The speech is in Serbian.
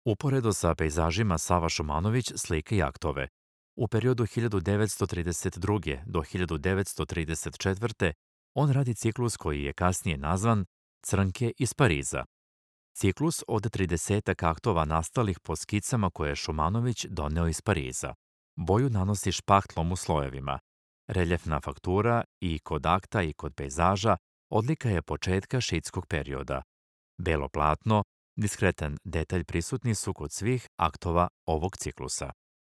Uporedo sa pejzažima Sava Šumanović slika i aktove. U periodu 1932. do 1934. on radi ciklus koji je kasnije nazvan Crnke iz Pariza. Ciklus od 30 aktova nastalih po skicama koje je Šumanović doneo iz Pariza. Boju nanosi špahtlom u slojevima. Reljefna faktura i kod akta i kod pejzaža odlika je početka šitskog perioda. Belo platno, diskretan detalj prisutni su kod svih aktova ovog ciklusa.